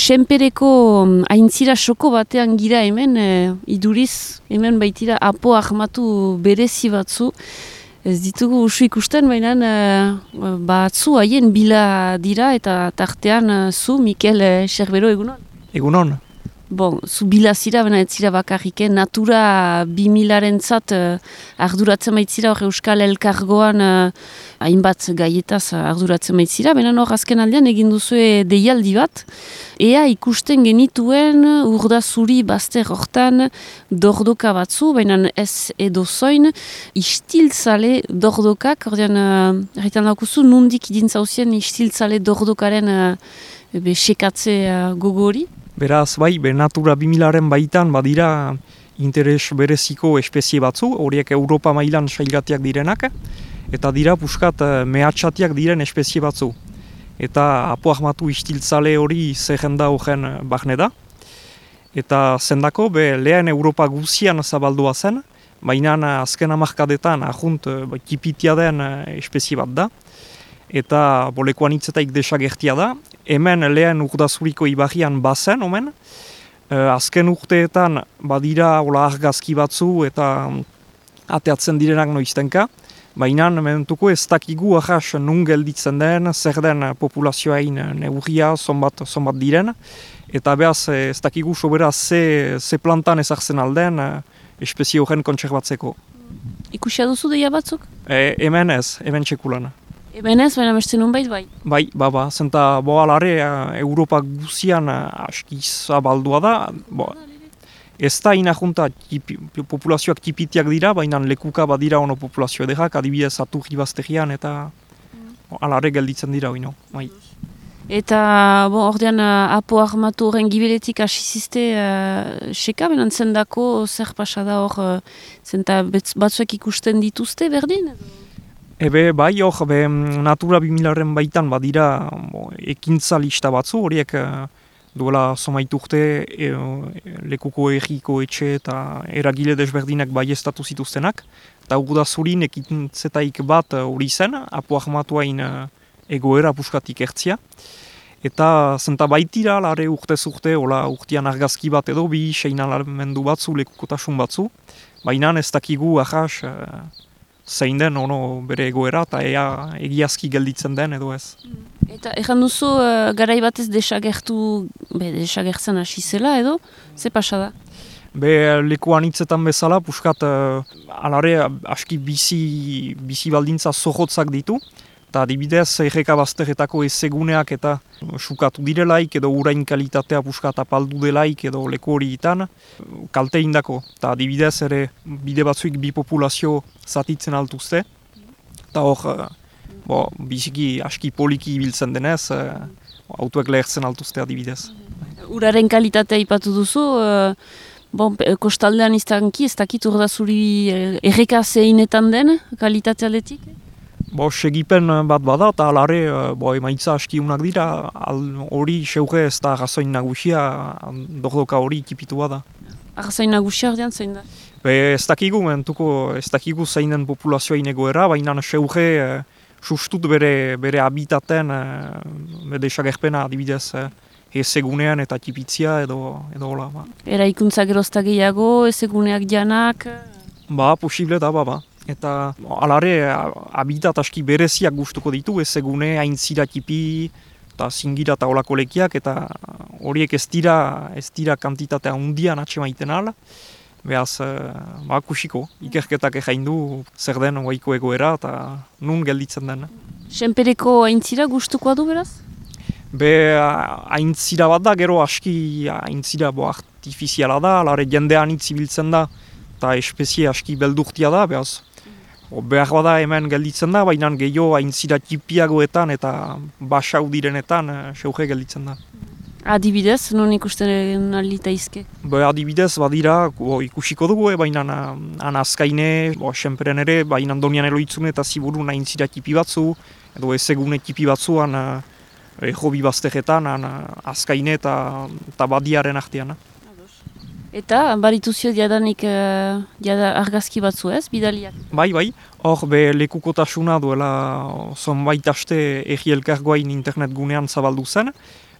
senpereko aintzira soko batean gira hemen, iduriz, hemen baitira apo ahmatu berezi batzu. Ez ditugu usu ikusten, baina batzu haien bila dira eta tartean zu, Mikel Sherbero, egunon? Egunon. Bon, zu bila zira, baina ez zira bakarrik, Natura 2000-arentzat arduratzen baitzira, hor Euskal Elkargoan hainbat gaietaz arduratzen baitzira, baina hor azken aldean egin duzue deialdi bat, ea ikusten genituen Urdazuri bazter hortan dordoka batzu, baina ez edozoin, istiltzale dordokak, ordean, erritan daukuzu, nundik idintzauzien istiltzale dordokaren sekatze gogori? Beraz, bai, Natura 2000-aren baitan badira interes bereziko espezie batzu, horiek Europa mailan sailgatiak direnak, eta dira puskat mehatxatiak diren espezie batzu. Eta apo ahmatu istiltzale hori zehenda horren bahne da. Eta zendako, lehen Europa guzian zabaldua zen, baina azken hamarkadetan ahunt kipitia den espezie bat da. Eta lekuan hitzetaik desagertia da. Hemen lehen Urdazuriko ibarrian bazen, omen. Azken urteetan badira argazki batzu eta ateatzen direnak noiztenka. Baina mementuko ez dakigu ahas nun gelditzen den, zer den populazioain neurria, zonbat diren. Eta behaz ez dakigu sobera ze plantan ezartzen alden espezie horren kontserbatzeko. Ikusia duzu deia batzuk? Hemen ez, hemen txekulan. Hemen ez, baina beste nunbait bai? Bai, zenta alare Europa guzian aski zabaldua da. Ez da inajunta populazioak tipitiak dira, baina lekuka badira ono populazio edekak, adibidez Aturri bazterian eta alare gelditzen dira oino. Bai. Eta ordean apo ahmatu horren gibeletik asizizte seka, benan zendako zer pasada hor, zenta batzuek ikusten dituzte berdin? Bai, Natura 2000-aren baitan badira ekintza lista batzu, horiek duela somaitu urte lekuko erriko etxe eta eragile desberdinak baiestatu zituztenak. Eta Urdazurin ekintzetaik bat hori zen, apo ahmatuain egoera puskatik ertzia. Eta zenta baitira, lare urtez urte, urtean argazki bat edo, bi seinalamendu batzu, lekukotasun batzu. Baina ez dakigu ahas zein den bere egoera eta egiazki gelditzen den edo ez. Eta ejan duzu garai batez desagertzen hasi zela edo, ze pasa da? Lekuan hitzetan bezala, puskat alare aski bizi baldintza zohotzak ditu, eta adibidez erreka bazteretako ezeguneak eta sukatu direlaik edo urain kalitatea puskat apaldu delaik edo leku hori itan, kalte indako. Eta adibidez ere bide batzuik bi populazio zatitzen altuzte, eta hor biziki aski poliki ibiltzen denez, autoek lehertzen altuzte adibidez. Uraren kalitatea ipatu duzu, kostaldean izanki, ez dakit Urdazuri erreka zeinetan den kalitatea aldetik? Segipen bat bada eta alare emaitza aski unak dira, hori seuge ez da arrazoin nagusia, dordoka hori ikipitua da. Arrazoin nagusia ordean zein da? Ez dakigu zein den populazioa inegoera, baina seuge sustut bere habitaten desagerpena adibidez ezegunean eta tipitzia edo hola. Eraikuntza gerozta gehiago, ezeguneak janak? Posible da, Eta alare habitat aski bereziak gustuko ditu, ezegune, aintzira tipi eta zingira eta olako lekiak, eta horiek ez dira kantitatea hundian atxemaiten ala. Beaz, kusiko, ikerketak egin du zer den oaiko egoera eta nun gelditzen den. Senpereko aintzira gustukoa du beraz? Aintzira bat da, gero aski aintzira artifiziala da, alare jendean itzibiltzen da, eta espezie aski beldurtia da, beaz. Behar bada hemen gelditzen da, baina gehiago aintzira tipiagoetan eta basau direnetan seuge gelditzen da. Adibidez, non ikusten alita izke? Adibidez, badira, ikusiko dugu, baina azkaine, senperen ere, baina donian eloitzune eta ziburun aintzira tipi batzu, edo ezegune tipi batzuan hobi bazteretan, azkaine eta badiaren artean. Eta, barituzio diadanik argazki batzu ez, bidaliak? Bai, hor lekukotasuna duela zonbait aste Egi Elkargoain internet gunean zabaldu zen.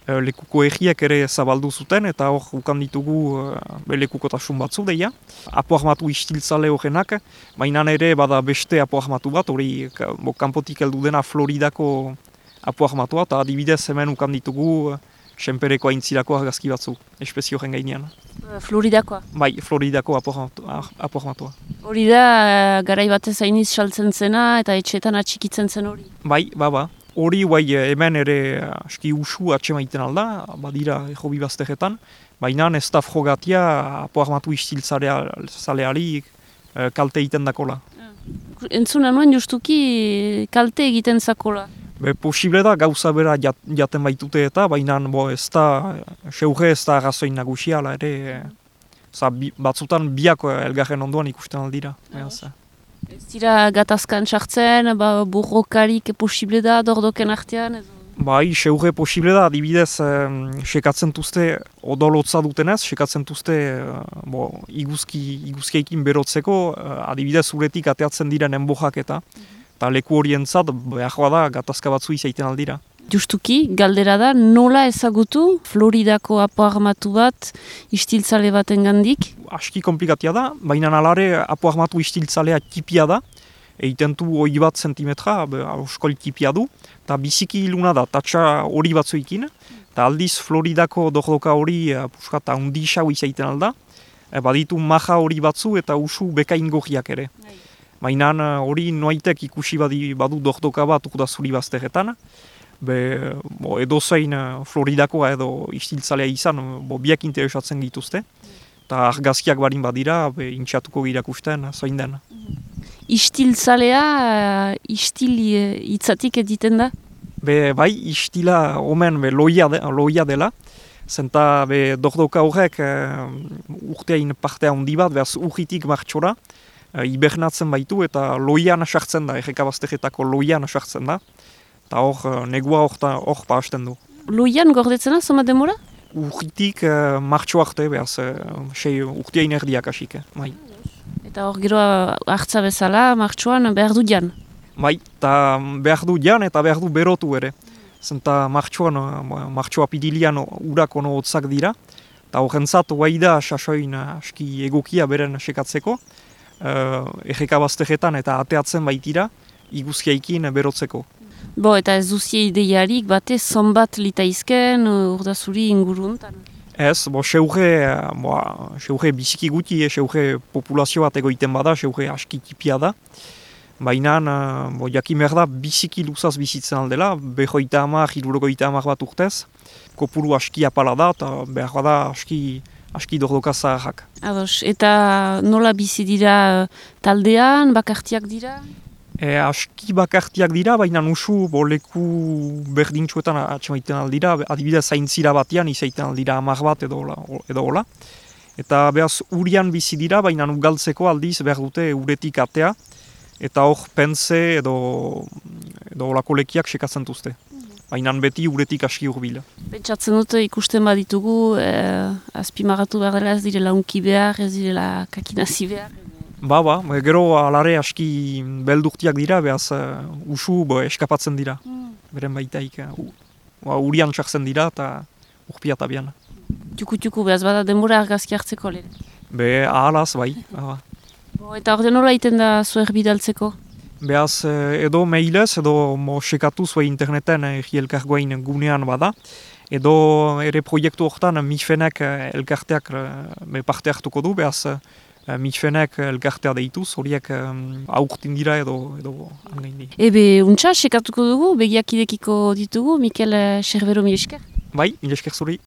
lekuko egiek ere zabaldu zuten, eta hor ukan ditugu lekukotasun batzu deia. Apo armatu istiltzale horrenak, baina ere bada beste apo armatu bat, hori kanpotik heldu dena Floridako apo armatua, eta adibidez hemen ukan ditugu senpereko aintzirako argazki batzu, espezio horren gainean. Floridakoa? Bai, Floridako apo armatua. Hori da, garai batez hainiz saltzen zena eta etxeetan atxikitzen zen hori? Bai, baba. Hori hemen ere aski usu atxemaiten alda, badira hobi bazteretan, baina ez da frogatia apo armatu istiltzaleari kalte egiten dakola. Entzuna nuen justuki kalte egiten zakola? Posible da gauza bera jaten baitute eta, baina ez da, seuge ez da arrazoin nagusia, ere batzutan biak elgarren ondoan ikusten aldira. Ez dira gatazkan sartzen, burrokarik posible da dordoken artean? Bai, seuge posible da, adibidez, sekatzen duzte, odolotza dutenez, sekatzen duzte iguzkiekin berotzeko, adibidez uretik ateatzen diren enbojak eta leku horientzat behar da gatazka batzu izaiten aldira. Justuki, galdera da, nola ezagutu Floridako apo armatu bat istiltzale baten gandik? Aski komplikatia da, baina alare apo armatu istiltzalea tipia da, egiten du 20 zentimetra, oskol tipia du, eta biziki iluna da, tatsa hori batzuekin, eta aldiz Floridako dordoka hori puskata undixau izaiten alda, baditu maja hori batzu eta usu bekain gorriak ere. Baina hori noaitek ikusi badu dordoka bat urda zuri bazteretan, edozein Floridakoa edo istiltzalea izan, biak interesatzen dituzte, eta argazkiak barin badira, intxatuko irakusten, zoin den. Istiltzalea, istil hitzatik editen da? Bai, istila omen loia dela, zenta dordoka horrek urteain partea handi bat, behaz urritik martxora, hibernatzen baitu eta loian sartzen da, errekabaztegetako loian sartzen da, eta hor negua hor pahasten du. Loian gordetzena, zoma demora? Urritik martxo arte, behaz, urteain erdiak asik, bai. Eta hor gero hartza bezala, martxoan behar du jan? Bai, eta behar du jan eta behar du berotu ere. Zenta martxoa pidilian urak ono hotzak dira, eta horrentzat guai da sasoin aski egokia beren sekatzeko, errekabaztegetan eta ateatzen baitira, iguzkiaikin berotzeko. Eta ez duzie ideiarik bate zonbat litaizken urdazuri inguruntan? Ez, seuge biziki guti, seuge populazio bat egoiten bada, seuge aski tipia da. Baina, jakin behar da, biziki luzaz bizitzen aldela, 50-60 bat urtez. Kopuru aski apala da, eta behar da aski dordoka zaharrak. Ados, eta nola bizi dira taldean, bakartiak dira? Aski bakartiak dira, baina usu leku berdintxuetan atxemaiten aldira, adibidez zaintzira batean izaiten aldira 10 bat edo hola. Eta behaz urian bizi dira, baina ugaltzeko aldiz behar dute uretik atea, eta hor pense edo holako lekiak sekatzen duzte. Baina beti uretik aski urbila. Pentsatzen dute ikusten baditugu, azpimarratu behar dela ez direla unki behar, ez direla kakinazi behar. Gero alare aski beldurtiak dira, behaz usu eskapatzen dira. Beren baitaik, urian txartzen dira eta urpia tabian. Txuku, behaz bada denbora argazki hartzeko lehen? Ahalaz, bai. Eta orde nola iten da zuer bidaltzeko? Behaz edo mailez, edo sekatu zue interneten elkargoain gunean bada, edo ere proiektu horretan MIFEnek elkarteak parte hartuko du, behaz MIFEnek elkartea deituz, horiek aurtin dira edo angaindi. Untxa, sekatuko dugu, begiak idekiko ditugu, Mikel Sherbero, mi esker? Bai, mi esker zuri.